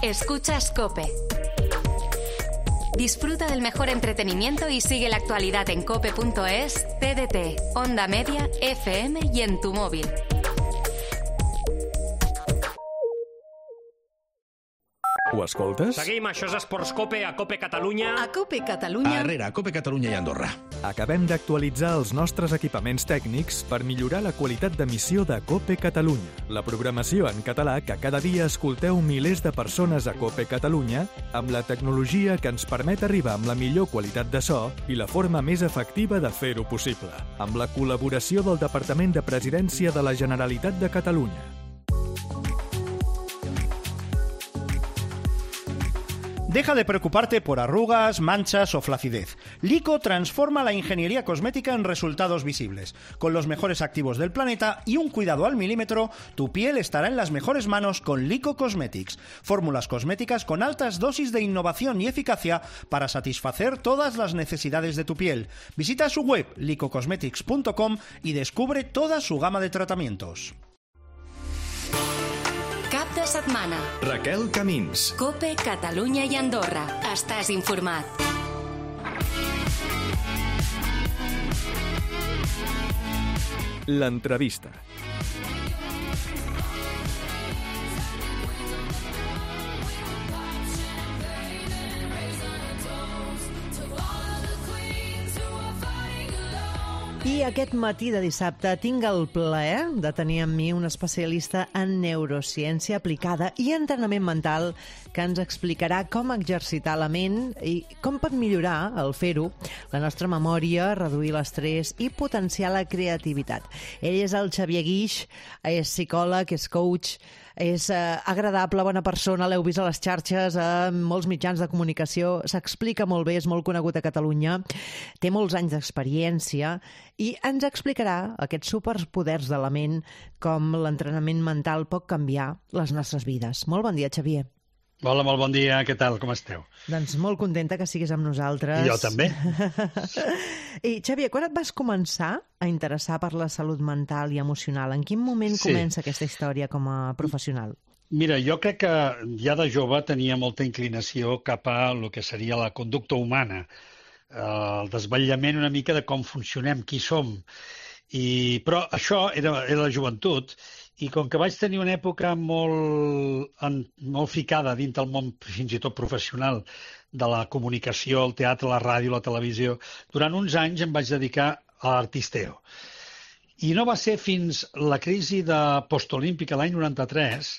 [SPEAKER 1] Escuchas COPE. Disfruta del mejor entretenimiento y sigue la actualidad en cope.es, TDT, Onda Media, FM y en tu móvil.
[SPEAKER 2] Ho escoltes?
[SPEAKER 19] Seguim, això és Esports COPE, a COPE Catalunya.
[SPEAKER 10] A COPE Catalunya.
[SPEAKER 2] A Herrera, COPE Catalunya i Andorra.
[SPEAKER 5] Acabem d'actualitzar els nostres equipaments tècnics per millorar la qualitat d'emissió de COPE Catalunya, la programació en català que cada dia escolteu milers de persones a COPE Catalunya, amb la tecnologia que ens permet arribar amb la millor qualitat de so i la forma més efectiva de fer-ho possible, amb la col·laboració del Departament de Presidència de la Generalitat de Catalunya.
[SPEAKER 7] Deja de preocuparte por arrugas, manchas o flacidez. Lico transforma la ingeniería cosmética en resultados visibles. Con los mejores activos del planeta y un cuidado al milímetro, tu piel estará en las mejores manos con Lico Cosmetics. Fórmulas cosméticas con altas dosis de innovación y eficacia para satisfacer todas las necesidades de tu piel. Visita su web licocosmetics.com y descubre toda su gama de tratamientos.
[SPEAKER 1] Cap de setmana.
[SPEAKER 2] Raquel Camins.
[SPEAKER 1] COPE, Catalunya i Andorra. Estàs informat.
[SPEAKER 5] L'entrevista.
[SPEAKER 3] I aquest matí de dissabte tinc el plaer de tenir amb mi un especialista en neurociència aplicada i entrenament mental que ens explicarà com exercitar la ment i com pot millorar, al fer-ho, la nostra memòria, reduir l'estrès i potenciar la creativitat. Ell és el Xavier Guix, és psicòleg, és coach, és agradable, bona persona, l'heu vist a les xarxes, a molts mitjans de comunicació, s'explica molt bé, és molt conegut a Catalunya, té molts anys d'experiència i ens explicarà aquests superpoders de la ment, com l'entrenament mental pot canviar les nostres vides. Molt bon dia, Xavier.
[SPEAKER 23] Hola, molt bon dia, què tal, com esteu?
[SPEAKER 3] Doncs molt contenta que siguis amb nosaltres.
[SPEAKER 23] I jo també.
[SPEAKER 3] I, Xavier, quan et vas començar a interessar per la salut mental i emocional? En quin moment comença aquesta història com a professional?
[SPEAKER 23] Mira, jo crec que ja de jove tenia molta inclinació cap a el que seria la conducta humana, el desvetllament una mica de com funcionem, qui som. Però això era la joventut, i com que vaig tenir una època molt ficada dins del món fins i tot professional de la comunicació, el teatre, la ràdio, la televisió, durant uns anys em vaig dedicar a l'artisteo. I no va ser fins la crisi de postolímpica l'any 93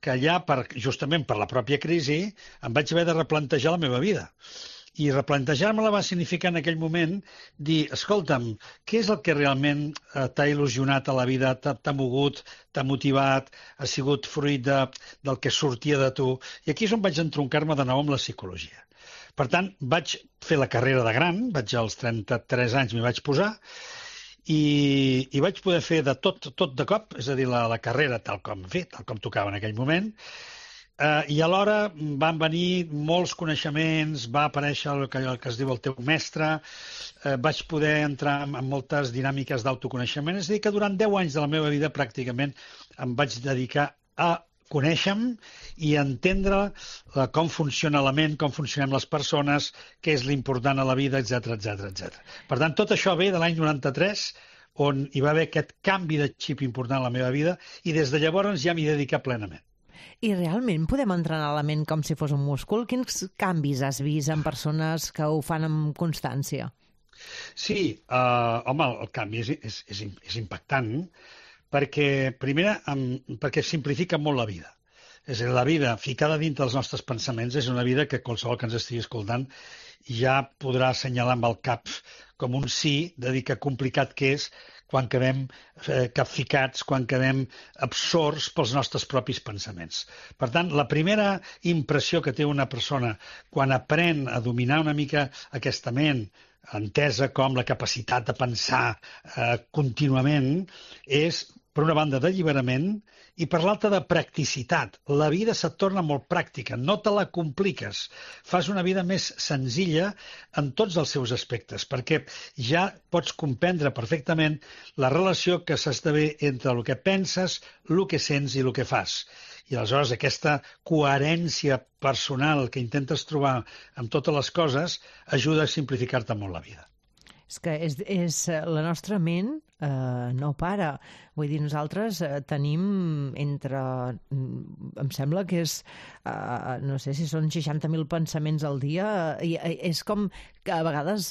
[SPEAKER 23] que ja, justament per la pròpia crisi, em vaig haver de replantejar la meva vida. I replantejar-me-la va significar en aquell moment dir, escolta'm, què és el que realment t'ha il·lusionat a la vida, t'ha mogut, t'ha motivat, ha sigut fruit del que sortia de tu? I aquí és on vaig entroncar-me de nou amb la psicologia. Per tant, vaig fer la carrera de gran, als 33 anys m'hi vaig posar, i vaig poder fer de tot de cop, és a dir, la carrera tal com tocava en aquell moment. I alhora van venir molts coneixements, va aparèixer el que es diu el teu mestre, vaig poder entrar en moltes dinàmiques d'autoconeixement, és a dir, que durant 10 anys de la meva vida pràcticament em vaig dedicar a conèixer-me i entendre com funciona la ment, com funcionem les persones, què és l'important a la vida, etc. Per tant, tot això ve de l'any 93, on hi va haver aquest canvi de xip important a la meva vida, i des de llavors ja m'hi dedicat plenament.
[SPEAKER 3] I realment podem entrenar la ment com si fos un múscul? Quins canvis has vist en persones que ho fan amb constància?
[SPEAKER 23] Sí, home, el canvi és impactant, perquè, perquè simplifica molt la vida. És a dir, la vida ficada dins dels nostres pensaments és una vida que qualsevol que ens estigui escoltant ja podrà assenyalar amb el cap com un sí, de dir que complicat que és quan quedem capficats, quan quedem absorts pels nostres propis pensaments. Per tant, la primera impressió que té una persona quan aprèn a dominar una mica aquesta ment, entesa com la capacitat de pensar contínuament, és, per una banda, d'alliberament i per l'altra de practicitat. La vida se't torna molt pràctica, no te la compliques. Fas una vida més senzilla en tots els seus aspectes, perquè ja pots comprendre perfectament la relació que s'esdevé entre el que penses, el que sents i el que fas. I aleshores aquesta coherència personal que intentes trobar amb totes les coses ajuda a simplificar-te molt la vida.
[SPEAKER 3] És que la nostra ment no para. Vull dir, nosaltres tenim em sembla que és, no sé si són 60.000 pensaments al dia, i és com que a vegades,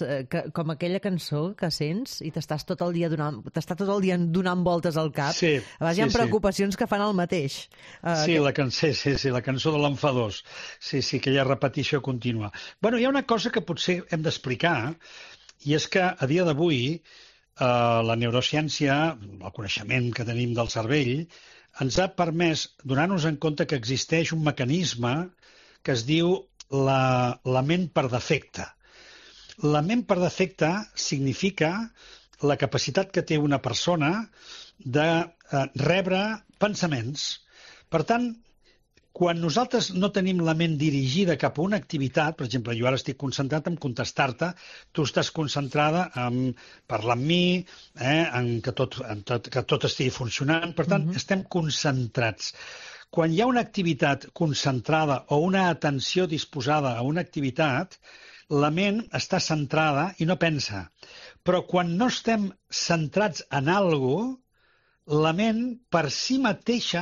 [SPEAKER 3] com aquella cançó que sents i t'està tot el dia donant voltes al cap.
[SPEAKER 23] Sí,
[SPEAKER 3] a vegades hi ha preocupacions que fan el mateix.
[SPEAKER 23] La cançó de l'enfadós. Sí, aquella repetició contínua. Bueno, hi ha una cosa que potser hem d'explicar, i és que a dia d'avui la neurociència, el coneixement que tenim del cervell, ens ha permès donar-nos en compte que existeix un mecanisme que es diu la ment per defecte. La ment per defecte significa la capacitat que té una persona de rebre pensaments. Per tant, quan nosaltres no tenim la ment dirigida cap a una activitat, per exemple, jo ara estic concentrat en contestar-te, tu estàs concentrada en parlar amb mi, en que tot estigui funcionant, per tant, estem concentrats. Quan hi ha una activitat concentrada o una atenció disposada a una activitat, la ment està centrada i no pensa. Però quan no estem centrats en alguna cosa, la ment per si mateixa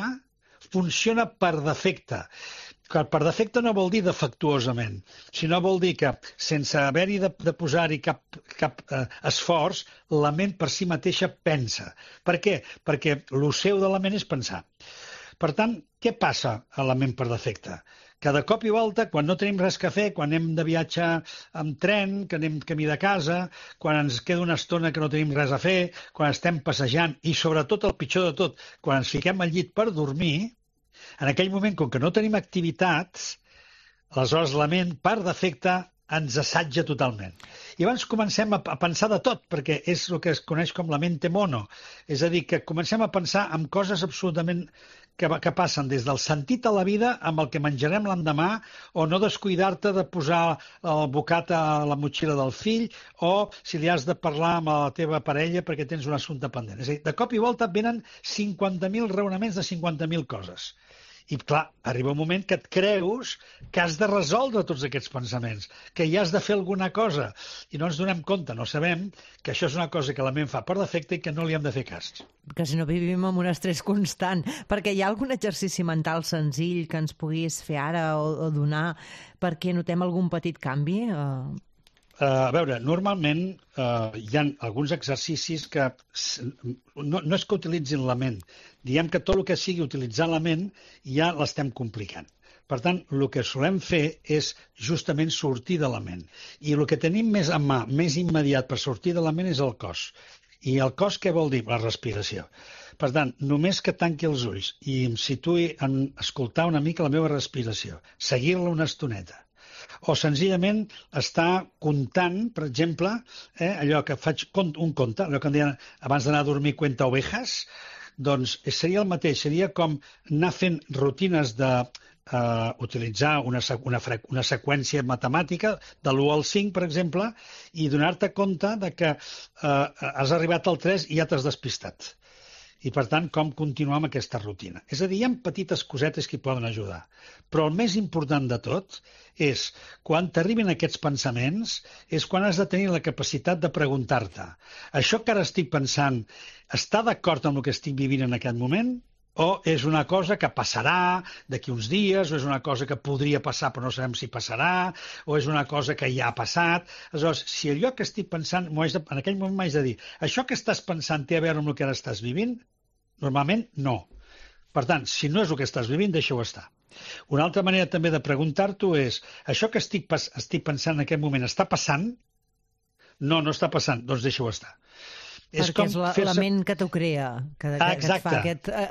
[SPEAKER 23] funciona per defecte. Per defecte no vol dir defectuosament, sinó vol dir que sense haver-hi de posar-hi cap esforç, la ment per si mateixa pensa. Per què? Perquè el seu de la ment és pensar. Per tant, què passa a la ment per defecte? Que de cop i volta, quan no tenim res a fer, quan anem de viatge amb tren, que anem camí de casa, quan ens queda una estona que no tenim res a fer, quan estem passejant i, sobretot, el pitjor de tot, quan ens fiquem al llit per dormir, en aquell moment, com que no tenim activitats, aleshores la ment, per defecte, ens assatja totalment. I llavors comencem a pensar de tot, perquè és el que es coneix com la mente mono. És a dir, que comencem a pensar en coses absolutament que passen des del sentit a la vida amb el que menjarem l'endemà, o no descuidar-te de posar el bocat a la motxilla del fill, o si li has de parlar amb la teva parella perquè tens un assumpte pendent. És a dir, de cop i volta venen 50.000 raonaments de 50.000 coses. I, clar, arriba un moment que et creus que has de resoldre tots aquests pensaments, que hi has de fer alguna cosa, i no ens donem compte, no sabem que això és una cosa que la ment fa per defecte i que no li hem de fer cas.
[SPEAKER 3] Que si no vivim amb un estrès constant. Perquè hi ha algun exercici mental senzill que ens puguis fer ara o donar perquè notem algun petit canvi?
[SPEAKER 23] A veure, normalment hi ha alguns exercicis que no és que utilitzin la ment, diem que tot el que sigui utilitzar la ment ja l'estem complicant. Per tant, el que solem fer és justament sortir de la ment. I el que tenim més a mà, més immediat per sortir de la ment és el cos. I el cos què vol dir? La respiració. Per tant, només que tanqui els ulls i em situï en escoltar una mica la meva respiració, seguir-la una estoneta, o senzillament estar comptant, per exemple, allò que faig un conte, allò que em deien abans d'anar a dormir cuenta ovejas, doncs seria el mateix, seria com anar fent rutines utilitzar una seqüència matemàtica de l'1 al 5, per exemple, i donar-te compte de que has arribat al 3 i ja t'has despistat. I, per tant, com continuar amb aquesta rutina. És a dir, hi ha petites cosetes que hi poden ajudar. Però el més important de tot és, quan t'arriben aquests pensaments, és quan has de tenir la capacitat de preguntar-te: això que ara estic pensant està d'acord amb el que estic vivint en aquest moment? O és una cosa que passarà d'aquí uns dies, o és una cosa que podria passar però no sabem si passarà, o és una cosa que ja ha passat. Aleshores, si allò que estic pensant, en aquell moment m'haig de dir, això que estàs pensant té a veure amb el que ara estàs vivint? Normalment, no. Per tant, si no és el que estàs vivint, deixa-ho estar. Una altra manera també de preguntar-t'ho és, això que estic pensant en aquest moment està passant? No, no està passant, doncs deixa-ho estar.
[SPEAKER 3] Perquè és la ment que t'ho crea, que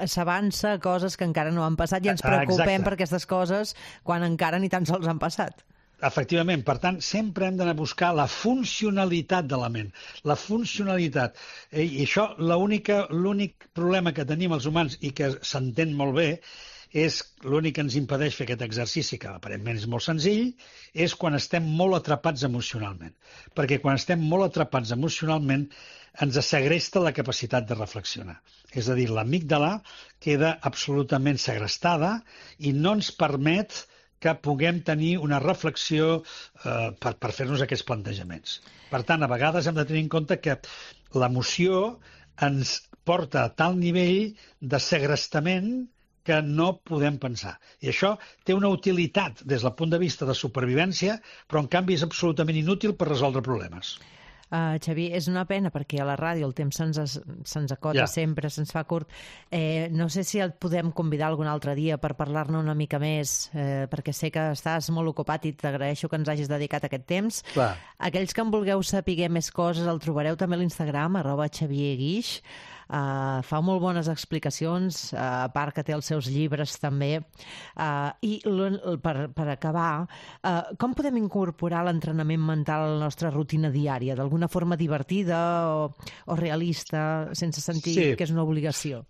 [SPEAKER 3] s'avança a coses que encara no han passat i ens preocupem per aquestes coses quan encara ni tan sols han passat.
[SPEAKER 23] Efectivament, per tant, sempre hem d'anar a buscar la funcionalitat de la ment, la funcionalitat. I això, l'únic problema que tenim els humans i que s'entén molt bé, és l'únic que ens impedeix fer aquest exercici, que aparentment és molt senzill, és quan estem molt atrapats emocionalment. Perquè quan estem molt atrapats emocionalment ens segresta la capacitat de reflexionar. És a dir, l'amígdala queda absolutament segrestada i no ens permet que puguem tenir una reflexió per fer-nos aquests plantejaments. Per tant, a vegades hem de tenir en compte que l'emoció ens porta a tal nivell de segrestament que no podem pensar. I això té una utilitat des del punt de vista de supervivència, però en canvi és absolutament inútil per resoldre problemes.
[SPEAKER 3] Xavier, és una pena perquè a la ràdio el temps se'ns acota sempre, se'ns fa curt. No sé si et podem convidar algun altre dia per parlar-ne una mica més, perquè sé que estàs molt ocupat i t'agraeixo que ens hagis dedicat aquest temps.
[SPEAKER 23] Clar.
[SPEAKER 3] Aquells que en vulgueu saber més coses el trobareu també a l'Instagram, @XavierGuix. Fa molt bones explicacions, a part que té els seus llibres també. I per acabar, com podem incorporar l'entrenament mental a la nostra rutina diària? D'alguna forma divertida o realista, sense sentir que és una obligació?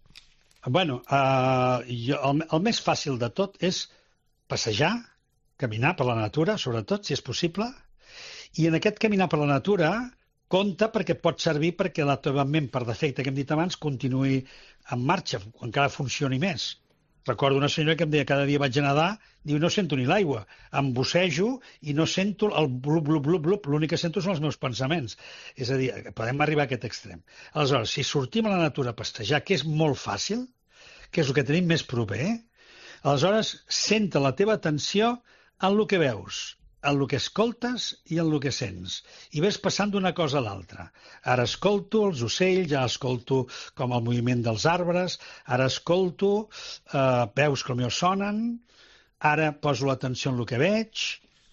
[SPEAKER 23] Bueno, el més fàcil de tot és passejar, caminar per la natura, sobretot, si és possible, i en aquest caminar per la natura compte perquè pot servir perquè la teva ment, per defecte, que hem dit abans, continuï en marxa, encara funcioni més. Recordo una senyora que em deia cada dia vaig a nedar, diu, no sento ni l'aigua, em bussejo i no sento el blup, blup, blup, blup, l'únic que sento són els meus pensaments. És a dir, podem arribar a aquest extrem. Aleshores, si sortim a la natura a pastejar, que és molt fàcil, que és el que tenim més proper, aleshores centra la teva atenció en el que veus, en el que escoltes i en el que sents. I ves passant d'una cosa a l'altra. Ara escolto els ocells, ara escolto com el moviment dels arbres, ara escolto veus com em sonen, ara poso l'atenció en el que veig,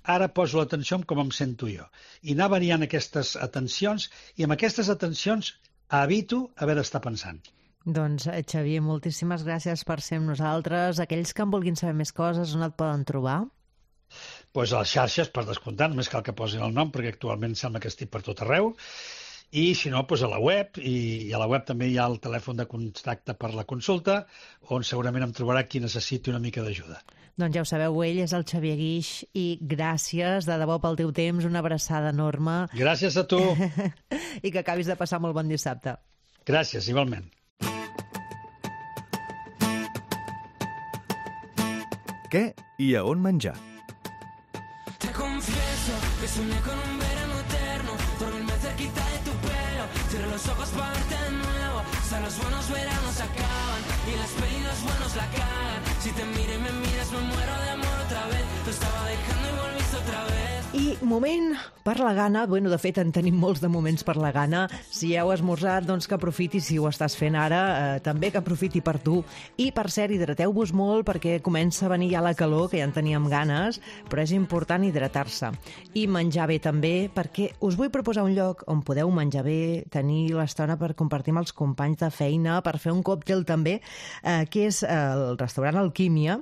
[SPEAKER 23] ara poso l'atenció en com em sento jo. I anar variant aquestes atencions, i amb aquestes atencions evito haver d'estar pensant.
[SPEAKER 3] Doncs, Xavier, moltíssimes gràcies per ser amb nosaltres. Aquells que en vulguin saber més coses, on et poden trobar?
[SPEAKER 23] Pues a les xarxes, per descomptar, només cal que posin el nom, perquè actualment sembla que estic per tot arreu, i si no, pues a la web, i a la web també hi ha el telèfon de contacte per la consulta, on segurament em trobarà qui necessiti una mica d'ajuda.
[SPEAKER 3] Doncs ja ho sabeu, ell és el Xavier Guix, i gràcies de debò pel teu temps, una abraçada enorme.
[SPEAKER 23] Gràcies a tu.
[SPEAKER 3] I que acabis de passar molt bon dissabte.
[SPEAKER 23] Gràcies, igualment.
[SPEAKER 5] Què i a on menjar?
[SPEAKER 4] Confieso que soñé con un verano eterno, dormirme cerquita de tu pelo, cierro los ojos para verte de nuevo, o sea, los buenos veranos acaban y las pelis los buenos la cagan, si te miro y me miras me muero de amor otra vez, lo estaba dejando y volviste otra vez.
[SPEAKER 3] I moment per la gana, bueno, de fet en tenim molts de moments per la gana. Si heu esmorzat, doncs que aprofiti, si ho estàs fent ara, també que aprofiti per tu. I per cert, hidrateu-vos molt perquè comença a venir ja la calor, que ja en teníem ganes, però és important hidratar-se. I menjar bé també, perquè us vull proposar un lloc on podeu menjar bé, tenir l'estona per compartir amb els companys de feina, per fer un còctel també, que és el restaurant Alquímia,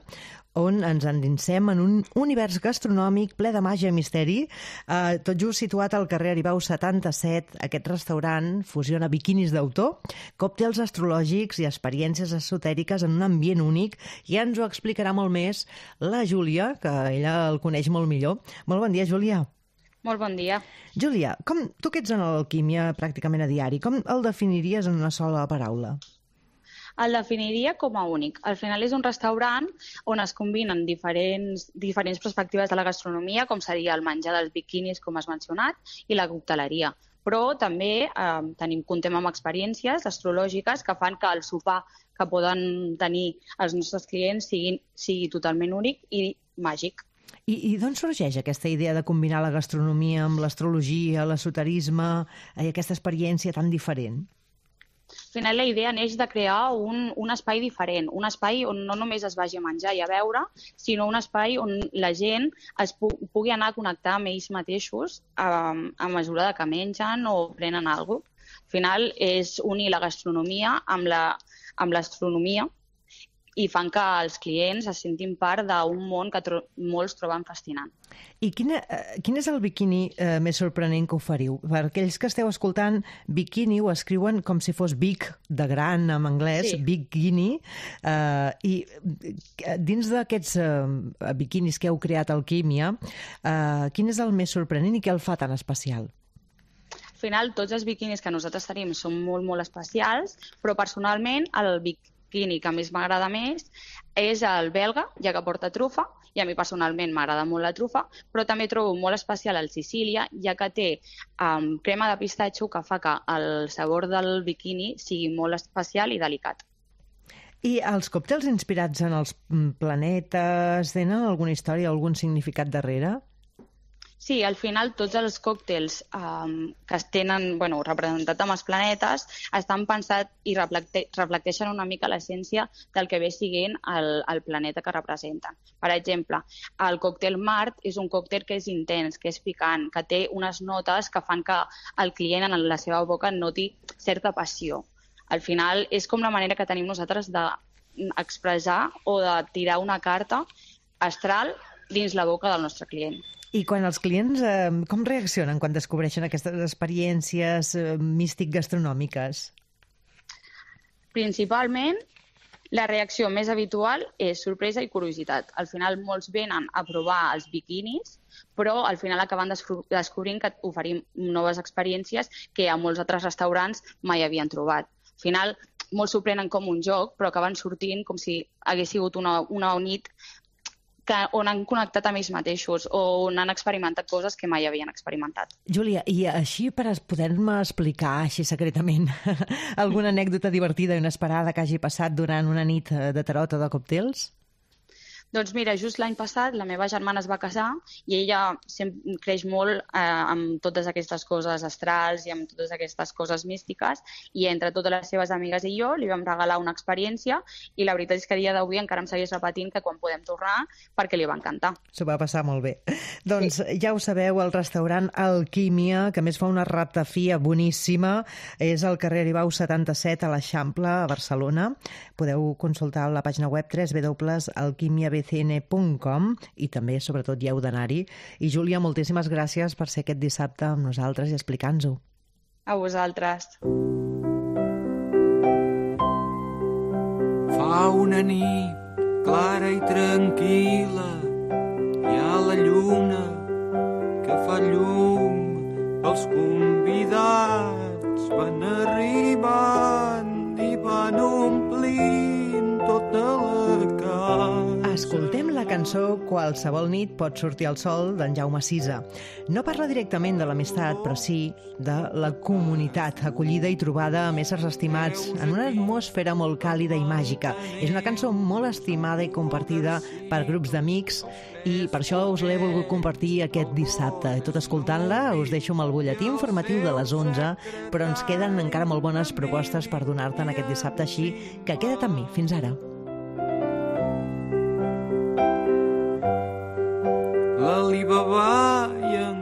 [SPEAKER 3] on ens endinsem en un univers gastronòmic ple de màgia i misteri. Tot just situat al carrer Aribau 77, aquest restaurant fusiona biquinis d'autor, còctels astrològics i experiències esotèriques en un ambient únic. Ja ens ho explicarà molt més la Júlia, que ella el coneix molt millor. Molt bon dia, Júlia.
[SPEAKER 6] Molt bon dia.
[SPEAKER 3] Júlia, tu que ets en l'alquímia pràcticament a diari, com el definiries en una sola paraula?
[SPEAKER 6] El definiria com a únic. Al final és un restaurant on es combinen diferents perspectives de la gastronomia, com seria el menjar dels biquinis, com has mencionat, i la cocteleria. Però també comptem amb experiències astrològiques que fan que el sopar que poden tenir els nostres clients sigui totalment únic i màgic.
[SPEAKER 3] I d'on sorgeix aquesta idea de combinar la gastronomia amb l'astrologia, l'esoterisme i aquesta experiència tan diferent?
[SPEAKER 6] Al final la idea neix de crear un espai diferent, un espai on no només es vagi a menjar i a beure, sinó un espai on la gent es pugui anar a connectar amb ells mateixos a mesura que mengen o prenen alguna cosa. Al final és unir la gastronomia amb l'astronomia i fan que els clients es sentin part d'un món que molts troben fascinant.
[SPEAKER 3] I quin és el biquini més sorprenent que oferiu? Per aquells que esteu escoltant, biquini ho escriuen com si fos big, de gran, en anglès, sí. Bikini. I dins d'aquests biquinis que heu creat a Alquímia, quin és el més sorprenent i què el fa tan especial?
[SPEAKER 6] Al final, tots els biquinis que nosaltres tenim són molt, molt especials, però personalment el bikini que més m'agrada més és el belga, ja que porta trufa, i a mi personalment m'agrada molt la trufa, però també trobo molt especial el Sicília, ja que té crema de pistatxo que fa que el sabor del bikini sigui molt especial i delicat.
[SPEAKER 3] I els còctels inspirats en els planetes tenen alguna història, algun significat darrere?
[SPEAKER 6] Sí, al final tots els còctels que es tenen representat amb els planetes estan pensats i reflecteixen una mica l'essència del que ve siguent el planeta que representen. Per exemple, el còctel Mart és un còctel que és intens, que és picant, que té unes notes que fan que el client en la seva boca noti certa passió. Al final és com la manera que tenim nosaltres d'expressar o de tirar una carta astral dins la boca del nostre client.
[SPEAKER 3] I quan els clients com reaccionen quan descobreixen aquestes experiències místic-gastronòmiques?
[SPEAKER 6] Principalment, la reacció més habitual és sorpresa i curiositat. Al final, molts venen a provar els biquinis, però al final acaben descobrint que oferim noves experiències que a molts altres restaurants mai havien trobat. Al final, molts s'ho prenen com un joc, però acaben sortint com si hagués sigut una nit on han connectat amb ells mateixos o on han experimentat coses que mai havien experimentat.
[SPEAKER 3] Júlia, i així per poder-me explicar així secretament alguna anècdota divertida i inesperada que hagi passat durant una nit de tarot o de còctels?
[SPEAKER 6] Doncs mira, just l'any passat la meva germana es va casar i ella creix molt amb totes aquestes coses astrals i amb totes aquestes coses místiques i entre totes les seves amigues i jo li vam regalar una experiència i la veritat és que a dia d'avui encara em segueix repetint que quan podem tornar perquè li va encantar.
[SPEAKER 3] S'ho va passar molt bé. Doncs ja ho sabeu, el restaurant Alquímia, que més fa una ratafia boníssima, és al carrer Aribau 77 a l'Eixample, a Barcelona. Podeu consultar la pàgina web www.alquimiabcn.com i també, sobretot, hi heu d'anar-hi. I, Júlia, moltíssimes gràcies per ser aquest dissabte amb nosaltres i explicar-nos-ho.
[SPEAKER 6] A vosaltres.
[SPEAKER 4] Fa una nit clara i tranquil·la, hi ha la lluna que fa llum, els convidats van arribant i van omplint tota la casa.
[SPEAKER 3] Escoltem la cançó Qualsevol nit pot sortir el sol d'en Jaume Sisa. No parla directament de l'amistat, però sí de la comunitat, acollida i trobada amb éssers estimats en una atmosfera molt càlida i màgica. És una cançó molt estimada i compartida per grups d'amics i per això us l'he volgut compartir aquest dissabte. I tot escoltant-la us deixo amb el butlletí informatiu de les 11, però ens queden encara molt bones propostes per donar-te en aquest dissabte, així que queda't amb mi. Fins ara.
[SPEAKER 4] L'Alibaba i en